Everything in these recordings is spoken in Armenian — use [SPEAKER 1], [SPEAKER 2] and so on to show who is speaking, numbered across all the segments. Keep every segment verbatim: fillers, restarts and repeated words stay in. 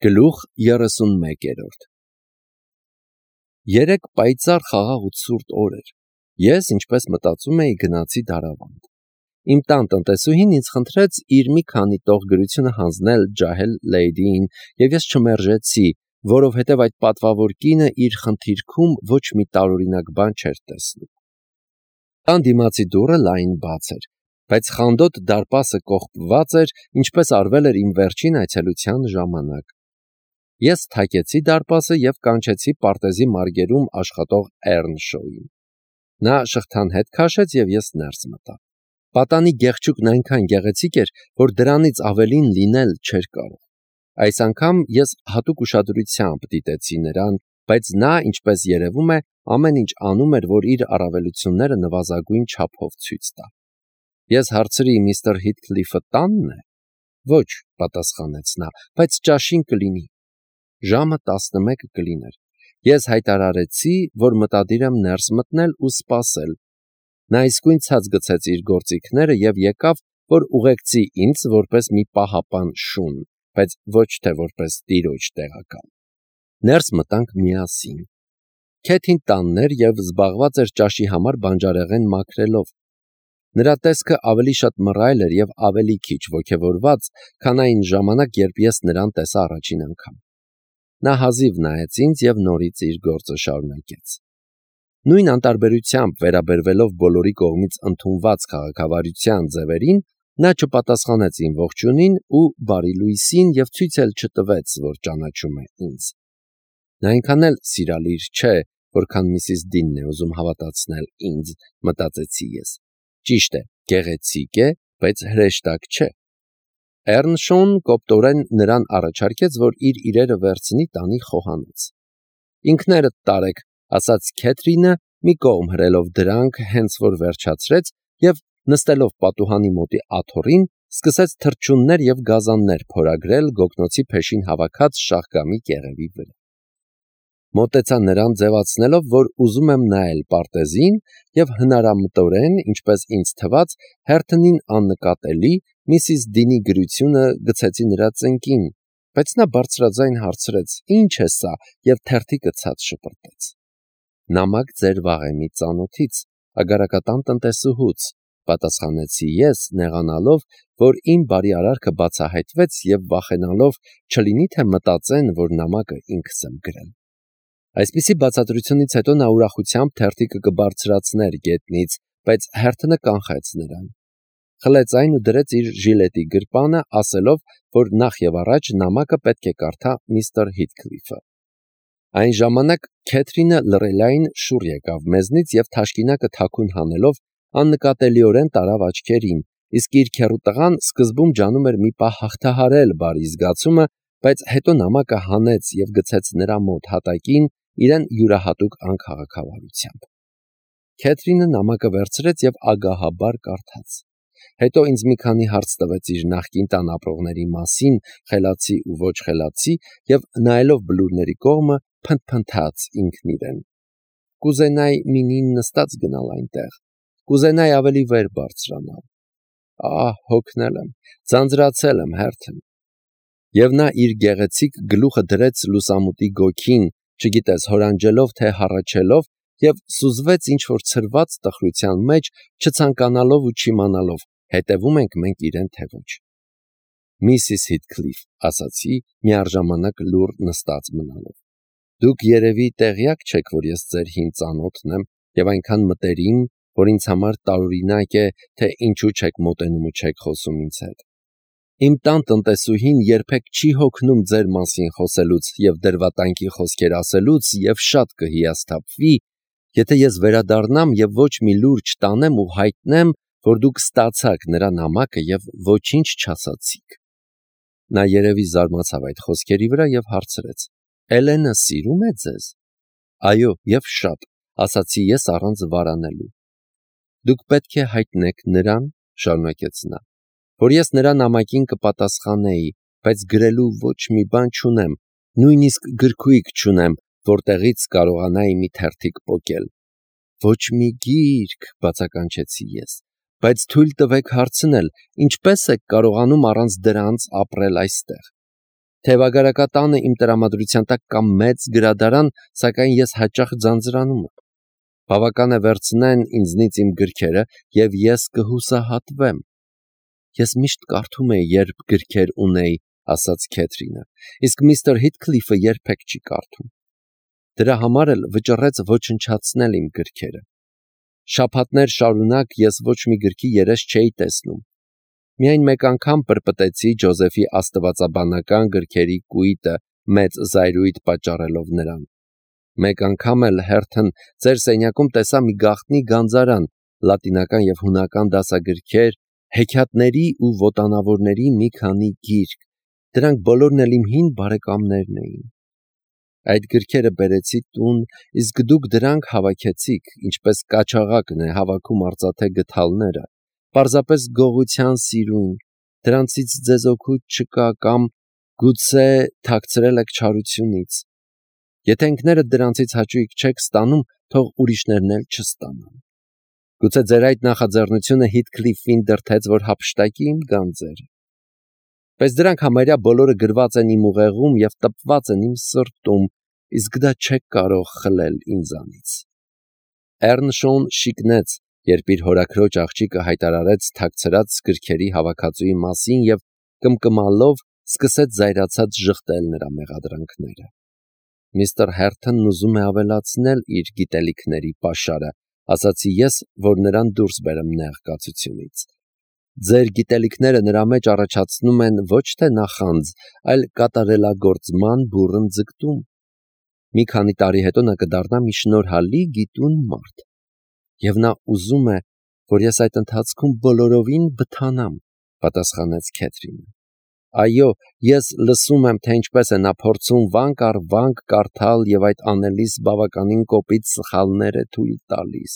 [SPEAKER 1] Գլուխ երեսունմեկերորդ Երեք պայծառ խաղաղ ու ցուրտ օր էր։ Ես, ինչպես մտածում էի, գնացի դարավանդ։ Իմ տան տնտեսուհին ինձ խնդրեց իր մի քանի տող գրությունը հանձնել ջահել լեյդիին, եւ ես չմերժեցի, որովհետեւ այդ պատվավոր կինը իր խնդիրքում ոչ մի տարօրինակ բան չէր տեսնում։ Տան դիմացի դուռը լայն բաց էր, բայց խանդոտ դարպասը կողպված էր, ինչպես արվել էր իմ վերջին այցելության ժամանակ։ Ես թակեցի դարպասը եւ կանչեցի պարտեզի մարգերում աշխատող Էռնշոուին։ Նա շղթան հետ քաշեց եւ ես ներս մտա։ Պատանի գեղչուկն այնքան գեղեցիկ էր, որ դրանից ավելին լինել չէր կարող։ Այս անգամ ես հատուկ ուշադրությամբ դիտեցի նրան, բայց նա, ինչպես երևում է, ամեն ինչ անում էր, որ իր առավելությունները նվազագույն չափով ցույց տա։ Ես հարցրի. միստր Հիթքլիֆը տանն է։ Ոչ, պատասխանեց նա, բայց ճաշին կլինի։ Ժամը տասնմեկը կլիներ։ Ես հայտարարեցի, որ մտադիր եմ ներս մտնել ու սպասել։ Նա իսկույն ցած գցեց իր գործիքները եւ եկավ, որ ուղեկցի ինձ որպես մի պահապան շուն, բայց ոչ թե որպես տիրոջ տեղակալ։ Ներս մտանք միասին։ Քեթին տանն էր եւ զբաղված էր ճաշի համար բանջարեղեն մաքրելով։ Նրա տեսքը ավելի շատ մռայլ էր եւ ավելի քիչ ոգևորված, քան այն ժամանակ, երբ ես նրան տեսա առաջին անգամ։ Նա հազիվ նայեց ինձ եւ նորից իր գործը շարունակեց։ Նույն անտարբերությամբ վերաբերվելով բոլորի կողմից ընդունված քաղաքավարության ձևերին, նա չպատասխանեց իմ ողջունին ու բարի լույսին եւ ցույց էլ չտվեց, որ ճանաչում է ինձ։ Նա այնքան էլ սիրալիր չէ, որքան միսիս Դինն է ուզում հավատացնել ինձ, մտածեցի ես։ Ճիշտ է, գեղեցիկ է, բայց հրեշտակ չէ։ Էռնշոուն կոպտորեն նրան առաջարկեց, որ իր իրերը վերցնի տանի խոհանոց։ Ինքներդ տարեք, ասաց Քեթրինը, մի կողմ հրելով դրանք, հենց որ վերջացրեց եւ նստելով պատուհանի մոտի աթոռին, սկսեց թռչուններ եւ գազաններ փորագրել գոգնոցի փեշին հավաքած շաղկամի կեղևի վրա։ Մոտեցա նրան ձևացնելով, որ ուզում եմ նայել պարտեզին եւ հնարամտորեն, ինչպես ինձ թվաց, հերթնին աննկատելի միսիս Դինի գրությունը գցեցի նրա ծնկին, բայց նա բարձրաձայն հարցրեց. «Ինչ է սա?» եւ թերթիկը ցած շպրտեց։ «Նամակ ձեր վաղեմի ծանոթից, ագարակատան տնտեսուհուց», պատասխանեցի ես, նեղանալով, որ իմ բարի արարքը բացահայտվեց եւ վախենալով չլինի թե մտածեն, որ նամակը ինքս եմ գրել։ Այսպիսի բացատրությունից հետո նա ուրախությամբ թերթիկը կբարձրացներ գետնից, բայց հերթը կանխեց նրան։ Խլեց այն ու դրեց իր ժիլետի գրպանը, ասելով, որ նախ եւ առաջ նամակը պետք է կարդա միստր Հիթքլիֆը։ Այն ժամանակ Քեթրինը լռելային շուռ եկավ մեզնից եւ թաշկինակը թաքուն հանելով աննկատելիորեն տարավ աչքերին, իսկ իր քեռու տղան սկզբում ջանում էր մի պահ հաղթահարել բարի զգացումը, բայց հետո նամակը հանեց եւ գցեց նրա մոտ հատակին իրեն յուրահատուկ անքաղաքավարությամբ։ Քեթրինը նամակը վերցրեց եւ ագահաբար կարդաց։ Հետո ինձ մի քանի հարց տվեց իր նախկին տան ապրողների մասին, խելացի ու ոչ խելացի, եւ նայելով բլուրների կողմը, փնթփնթաց ինքն իրեն։ Կուզենայի մինին նստած գնալ այնտեղ, կուզենայի ավելի վեր բարձրանալ։ Ահ, հոգնել եմ, ձանձրացել եմ հերթն։ Եվ նա իր գեղեցիկ գլուխը դրեց լուսամուտի գոգին, չգիտես հորանջելով թե հառաչելով, եւ սուզվեց ինչ-որ ցրված տխրության մեջ, չցանկանալով ու չիմանալով, հետևում ենք մենք իրեն թե ոչ։ Միսիս Հիթքլիֆ, ասացի, միառժամանակ լուռ նստած մնալով։ Դուք երևի տեղյակ չեք, որ ես ձեր հին ծանոթն եմ եւ այնքան մտերիմ, որ ինձ համար տարօրինակ է, թե ինչու չեք մոտենում ու չեք խոսում ինձ հետ։ Իմ տան տնտեսուհին երբեք չի հոգնում ձեր մասին խոսելուց եւ դրվատանքի խոսքեր ասելուց եւ շատ կհիասթափվի, եթե ես վերադառնամ եւ ոչ մի լուր չտանեմ ու հայտնեմ, որ դուք ստացաք նրա նամակը եւ ոչինչ չասացիք։ Նա երևի զարմացավ այդ խոսքերի վրա եւ հարցրեց. «Էլենը սիրում է ձեզ»։ Այո, եւ շատ, ասացի ես առանց վարանելու։ Դուք պետք է հայտնեք նրան, շարունակեց նա, որ ես նրա նամակին կպատասխանեի, բայց գրելու ոչ մի բան չունեմ, նույնիսկ գրքույկ չունեմ, որտեղից կարողանայի մի թերթիկ պոկել։ Ոչ մի գիրք, բացականչեցի ես, բայց թույլ տվեք հարցնել, ինչպես եք կարողանում առանց դրանց ապրել այստեղ։ Թևագարակատանը իմ տրամադրության տակ կամ մեծ գրադարան, սակայն ես հաճախ ձանձրանում եմ։ Բավական է վերցնեն ինձնից իմ գրքերը, և ես կհուսահատվեմ։ Ես միշտ կարդում էի, երբ գրքեր ունեի, ասաց Քեթրինը, իսկ միստր Հիթքլիֆը երբեք չի կարդում։ Դրա համար էլ վճռեց ոչնչացնել իմ գրքերը։ Շաբաթներ շարունակ ես ոչ մի գրքի երես չէի տեսնում։ Միայն մեկ անգամ պրպտեցի Ջոզեֆի աստվածաբանական գրքերի կույտը մեծ զայրույթ պատճառելով նրան։ Մեկ անգամ էլ հերթն ձեր սենյակում տեսա մի գաղտնի գանձարան, լատինական և հունական դասագրքեր, հեքիաթների ու ոտանավորների մի քանի գիրք, դրանք բոլորն էլ իմ հին բարեկամներն էին։ Այդ գրքերը բերեցի տուն, իսկ դուք դրանք հավաքեցիք, ինչպես կաչաղակն է հավաքում արծաթե գդալները, պարզապես գողության սիրուն, դրանցից ձեզ օգուտ չկա կամ գուցե թաքցրել եք չարությունից։ Եթե ինքներդ դրանցից հաճույք չեք ստանում, թող ուրիշներն էլ չստանան։ Գուցե ձեր այդ նախաձեռնությունը Հիթքլիֆին դրդեց, որ հափշտակի իմ գանձերը։ Բայց դրանք համարյա բոլորը գրված են իմ ուղեղում և տպված են իմ սրտում, իսկ դա չեք կարող խլել ինձանից։ Էռնշոուն շիկնեց, երբ իր հորաքրոջ աղջիկը հայտարարեց թաքցրած գրքերի հավաքածուի մասին և կմկմալով սկսեց զայրացած ժխտել նրա մեղադրանքները։ Միստր Հերթոնն ուզում է ավելացնել իր գիտելիքների պաշարը, ասացի ես, որ նրան դուրս բերեմ նեղ կացությունից։ Ձեր գիտելիքները նրա մեջ առաջացնում են ոչ թե նախանձ, այլ կատարելագործման բուռն ձգտում։ Մի քանի տարի հետո նա կդառնա մի շնորհալի գիտուն մարդ։ Եվ նա ուզում է, որ ես այդ ընթացքում բոլորովին բթանամ, պատասխանեց Քեթրինը։ Այո, ես լսում եմ, թե ինչպես է նա փորձում վանք առ վանք կարդալ և այդ անելիս բավականին կոպիտ սխալներ է թույլ տալիս։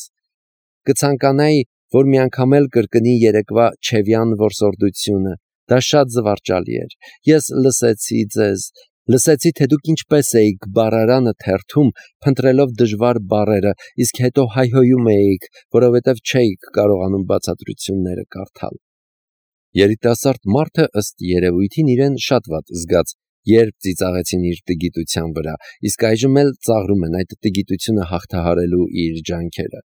[SPEAKER 1] Կցանկանայի, որ մի անգամ էլ կրկնի երեկվա Չևյան որսորդությունը, դա շատ զվարճալի էր։ Ես լսեցի ձեզ, լսեցի, թե դուք ինչպես էիք բառարանը թերթում, փնտրելով դժվար բառերը, իսկ հետո հայհոյում էիք, որովհետև չէիք կարողանում բացատրությունները կարդալ։ Երիտասարդ մարդը ըստ երևույթին իրեն շատ վատ զգաց, երբ ծիծաղեցին իր տգիտության վրա, իսկ այժմ էլ ծաղրում են այդ տգիտությունը հաղթահարելու իր ջանքերը։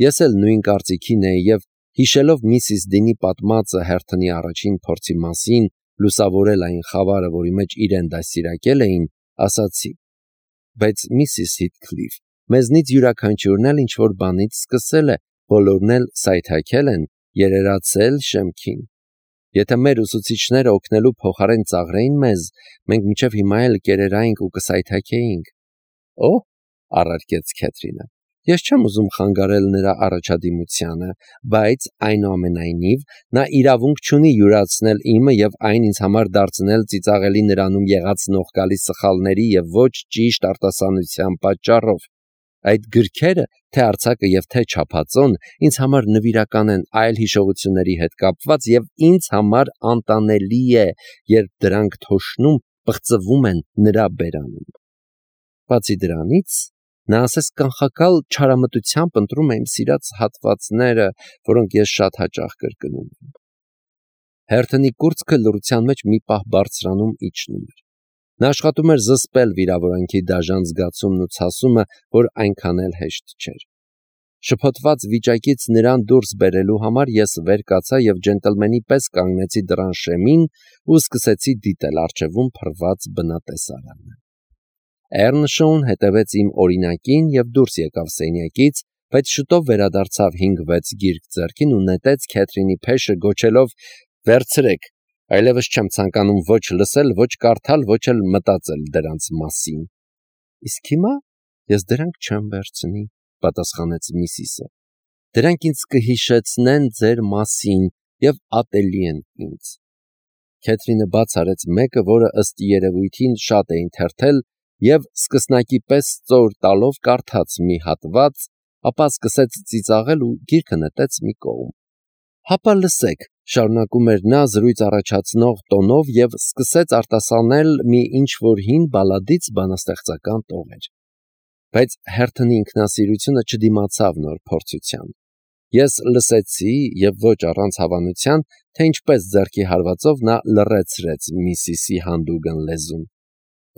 [SPEAKER 1] Ես էլ նույն կարծիքին էի և հիշելով միսիս Դինի պատմածը Հերթոնի առաջին փորձի մասին, լուսավորել այն խավարը, որի մեջ իրեն դաստիարակել էին, ասացի. բայց միսիս Հիթքլիֆ, մեզնից յուրաքանչյուրն էլ ինչ-որ բանից սկսել է, բոլորն էլ սայթաքել են, երերացել շեմքին։ Եթե մեր ուսուցիչները օգնելու փոխարեն ծաղրեին մեզ, մենք մինչև հիմա էլ կերերայինք ու կսայթաքեինք։ Օհ, առարկեց Քեթրինը, ես չեմ ուզում խանգարել նրա առաջադիմությանը, բայց այնուամենայնիվ նա իրավունք չունի յուրացնել իմը և այն ինձ համար դարձնել ծիծաղելի նրանում եղած նողկալի սխալների և ոչ ճիշտ արտասանության պատճառով։ Այդ գրքերը, թե արձակը և թե չափածոն, ինձ համար նվիրական են այլ հիշողությունների հետ կապված և ինձ համար անտանելի է, երբ դրանք թոշնում, պղծվում են նրա բերանում։ Բացի դրանից, նա ասես կանխակալ չարամտությամբ ընտրում է իմ սիրած հատվածները, որոնք ես շատ հաճախ կրկնում եմ։ Հերթոնի կուրծքը լռության մեջ մի պահ բարձրանում իջնում էր։ Նա աշխատում էր զսպել վիրավորանքի դաժան զգացումն ու ցասումը, որ այնքան էլ հեշտ չէր։ Շփոթված վիճակից նրան դուրս բերելու համար ես վեր կացա և ջենտլմենի պես կանգնեցի դռան շեմին ու սկսեցի դիտել առջևում փռված բնատեսարանը։ Էռնշոուն հետևեց իմ օրինակին և դուրս եկավ սենյակից, բայց շուտով վերադարձավ հինգ-վեց գիրք ձեռքին ու նետեց Քեթրինի փեշը գոչելով. «Վերցրեք, այլևս չեմ ցանկանում ոչ լսել, ոչ կարդալ, ոչ էլ մտածել դրանց մասին»։ Իսկ հիմա ես դրանք չեմ վերցնի, պատասխանեց միսիսը։ Դրանք ինձ կհիշեցնեն ձեր մասին և ատելի են ինձ։ Քեթրինը բաց արեց մեկը, որը ըստ երևույթին շատ էին թերթել, և սկսնակի պես ծոր տալով կարդաց մի հատված, ապա սկսեց ծիծաղել ու գիրքը նետեց մի կողմ։ Հապա լսեք, շարունակում էր նա զրույց առաջացնող տոնով և սկսեց արտասանել մի ինչ-որ հին բալադից բանաստեղծական տողեր։ Բայց Հերթոնի ինքնասիրությունը չդիմացավ նոր փորձության։ Ես լսեցի, և ոչ առանց հավանության, թե ինչպես ձեռքի հարվածով նա լռեցրեց միսիսի հանդուգն լեզուն։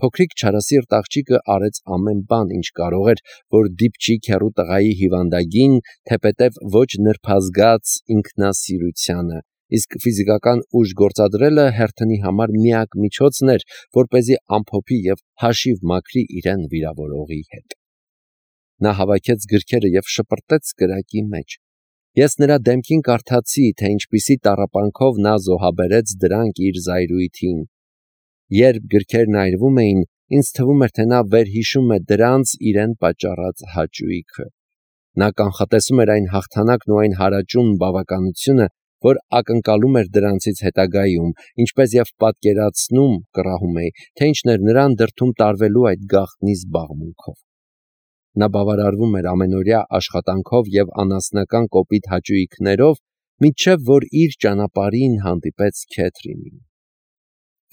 [SPEAKER 1] Փոքրիկ չարասիրտ աղջիկը արեց ամեն բան, ինչ կարող էր, որ դիպչի քեռու տղայի հիվանդագին, թեպետև ոչ նրբազգաց ինքնասիրությանը, իսկ ֆիզիկական ուժ գործադրելը Հերթոնի համար միակ միջոցն էր, որպեսզի ամփոփի և հաշիվ մաքրի իրեն վիրավորողի հետ։ Նա հավաքեց գրքերը և շպրտեց կրակի մեջ։ Ես նրա դեմքին կարդացի, թե ինչպիսի տառապանքով նա զոհաբերեց դրանք իր զայրույթին։ Երբ գրքերն այրվում էին, ինձ թվում էր, թե նա վերհիշում է դրանց իրեն պատճառած հաճույքը։ Նա կանխատեսում էր այն հաղթանակն ու այն հարաճուն բավականությունը, որ ակնկալում էր դրանցից հետագայում, ինչպես և պատկերացնում կռահում էի, թե ինչն էր նրան դրդում տարվելու այդ գաղտնի զբաղմունքով։ Նա բավարարվում էր ամենօրյա աշխատանքով և անասնական կոպիտ հաճույքներով, մինչև որ իր ճանապարհին հանդիպեց Քեթրինին։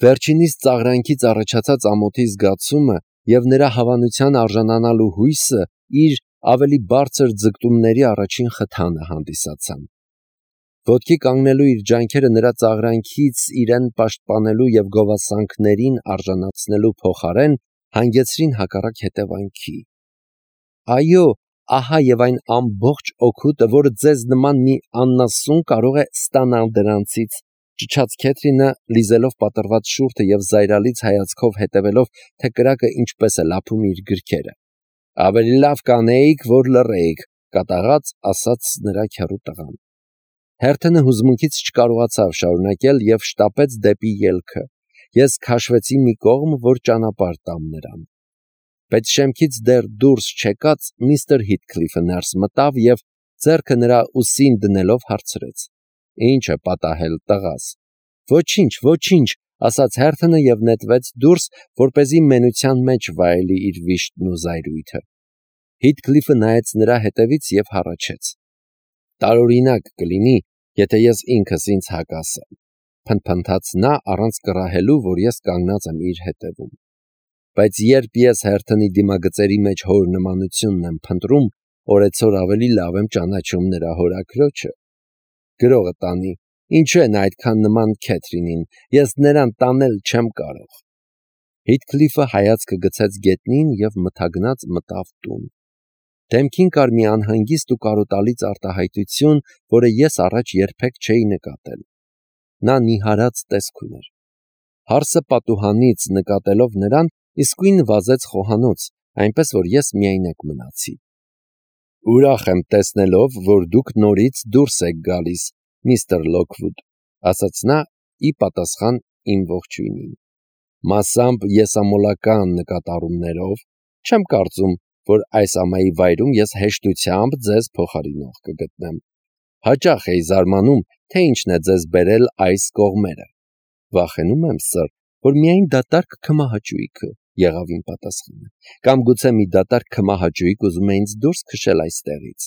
[SPEAKER 1] Վերջինիս ծաղրանքից առաջացած ամոթի զգացումը և նրա հավանության արժանանալու հույսը իր ավելի բարձր ձգտումների առաջին խթանը հանդիսացան։ Ոտքի կանգնելու իր ջանքերը նրա ծաղրանքից իրեն պաշտպանելու և գովասանքներին արժանացնելու փոխարեն հանգեցրին հակառակ հետևանքի։ Այո, ահա և այն ամբողջ օգուտը, որը ձեզ նման մի աննասուն կարող է ստանալ դրանցից, ճչաց Քեթրինը, լիզելով պատռված շուրթը և զայրալից հայացքով հետևելով, թե կրակը ինչպես է լափում իր գրքերը։ Ավելի լավ կանեիք, որ լռեիք, կատաղած ասաց նրա քեռու տղան։ Հերթոնը հուզմունքից չկարողացավ շարունակել և շտապեց դեպի ելքը։ Ես քաշվեցի մի կողմ, որ ճանապարհ տամ նրան։ Բայց շեմքից դեռ դուրս չեկած միստր Հիթքլիֆը ներս մտավ և ձեռքը նրա ուսին դնելով հարցրեց. «Ինչ է պատահել, տղաս»։ «Ոչինչ, ոչինչ», ասաց Հերթոնը և նետվեց դուրս, որպեսզի մենության մեջ վայելի իր վիշտն ու զայրույթը։ Հիթքլիֆը նայեց նրա հետևից և հառաչեց. «Տարօրինակ կլինի, եթե ես ինքս ինձ հակասեմ», փնթփնթաց նա առանց կռահելու, որ ես կանգնած եմ իր հետևում։ Բայց երբ ես Հերթոնի դիմագծերի մեջ հոր նմանությունն եմ փնտրում, օրեցօր ավելի լավ եմ ճանաչում նրա հորաքրոջը։ Գրողը տանի, ինչու է նա այդքան նման Քեթրինին, ես նրան տանել չեմ կարող։ Հիթքլիֆը հայացքը գցեց գետնին և մթագնած մտավ տուն։ Դեմքին կար մի անհանգիստ ու կարոտալից արտահայտություն, որը ես առաջ երբեք չէի նկատել։ Նա նիհարած տեսք ուներ։ Հարսը պատուհանից նկատելով նրան, իսկույն վազեց խոհանոց, այնպես որ ես միայնակ մնացի։ «Ուրախ եմ տեսնելով, որ դուք նորից դուրս եք գալիս, միստր Լոքվուդ», ասաց նա ի պատասխան իմ ողջույնին։ «Մասամբ եսամոլական նկատառումներով, չեմ կարծում, որ այս ամայի վայրում ես հեշտությամբ ձեզ փոխարինող կգտնեմ։ Հաճախ էի զարմանում, թե ինչն է ձեզ բերել այս կողմերը։ Վախենում եմ, սըր, որ միայն դատարկ քմահաճույքը», եղավ իմ պատասխանը, «կամ գուցե մի դատարկ քմահաճույք ուզում է ինձ դուրս քշել այստեղից։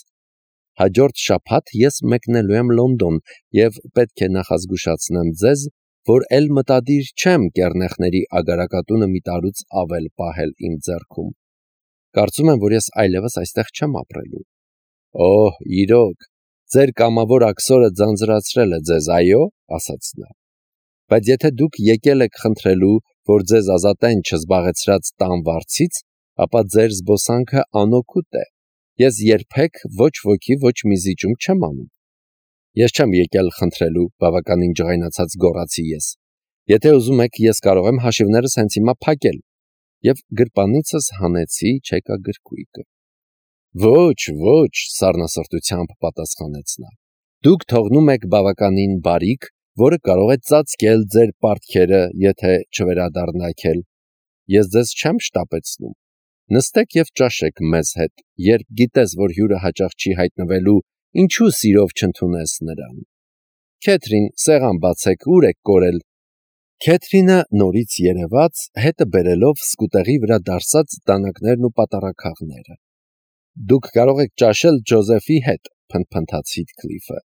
[SPEAKER 1] Հաջորդ շաբաթ ես մեկնելու եմ Լոնդոն և պետք է նախազգուշացնեմ ձեզ, որ էլ մտադիր չեմ կեռնեխների ագարակատունը մի տարուց ավել պահել իմ ձեռքում։ Կարծում եմ, որ ես այլևս այստեղ չեմ ապրելու»։ «Օհ, իրոք, ձեր կամավոր աքսորը ձանձրացրել է ձեզ, այո», ասաց նա։ «Բայց եթե դուք եկել եք խնդրելու, որ ձեզ ազատեն չզբաղեցրած տան վարձից, ապա ձեր զբոսանքը անօգուտ է։ Ես երբեք ոչ ոքի ոչ մի զիջում չեմ անում»։ «Ես չեմ եկել խնդրելու», բավականին ջղայնացած գոռացի ես։ «Եթե ուզում եք, ես կարող եմ հաշիվներս հենց հիմա փակել»։ Եվ գրպանիցս հանեցի չեկագրքույկը։ «Ոչ, ոչ», սառնասրտությամբ պատասխանեց նա։ «Դուք թողնում եք բավականին բարիք, որը կարող է ծածկել ձեր պարտքերը, եթե չվերադառնաք էլ։ Ես ձեզ չեմ շտապեցնում։ Նստեք և ճաշեք մեզ հետ, երբ գիտես, որ հյուրը հաճախ չի հայտնվելու, ինչու սիրով չընդունես նրան։ Քեթրին, սեղան բացեք, ուր եք կորել»։ Քեթրինը նորից երևաց, հետը բերելով սկուտեղի վրա դարսած դանակներն ու պատառաքաղները։ «Դուք կարող եք ճաշել Ջոզեֆի հետ», փնթփնթաց Հիթքլիֆը։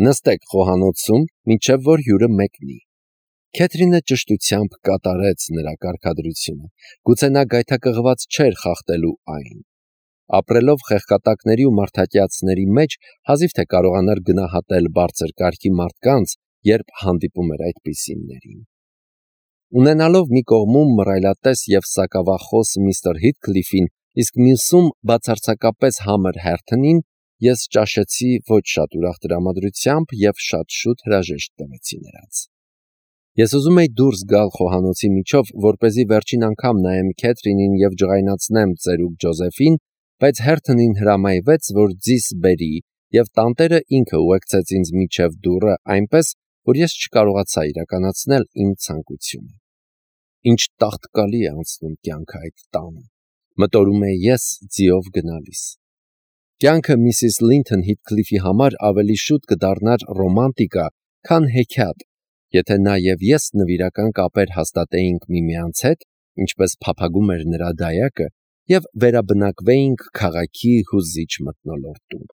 [SPEAKER 1] «Նստեք խոհանոցում, մինչև որ հյուրը մեկնի»։ Քեթրինը ճշտությամբ կատարեց նրա կարգադրությունը։ Գուցե նա գայթակղված չէր խախտելու այն։ Ապրելով խեղկատակների ու մարդակյացների մեջ, հազիվ թե կարողանար գնահատել բարձր կարգի մարդկանց, երբ հանդիպում էր այդպիսիններին։ Ունենալով մի կողմում մռայլատես և սակավախոս միստր Հիթքլիֆին, իսկ մյուսում բացարձակապես համր Հերթոնին, ես ճաշեցի ոչ շատ ուրախ տրամադրությամբ և շատ շուտ հրաժեշտ տվեցի նրանց։ Ես ուզում էի դուրս գալ խոհանոցի միջով, որպեսզի վերջին անգամ նայեմ Քեթրինին և ջղայնացնեմ ծերուկ Ջոզեֆին, բայց Հերթոնին հրամայվեց, որ ձիս բերի, և տանտերը ինքը ուղեկցեց ինձ մինչև դուռը այնպես, որ ես չկարողացա իրականացնել իմ ցանկությունը։ Ինչ տաղտկալի է անցնում կյանքը այդ տանը, մտորում էի ես ձիով գնալիս։ Կյանքը միսիս Լինթոն Հիթքլիֆի համար ավելի շուտ կդառնար ռոմանտիկա, քան հեքիաթ, եթե նա և ես նվիրական կապեր հաստատեինք միմյանց հետ, ինչպես փափագում էր նրա դայակը, և վերաբնակվեինք քաղաքի հուզիչ մթնոլորտում։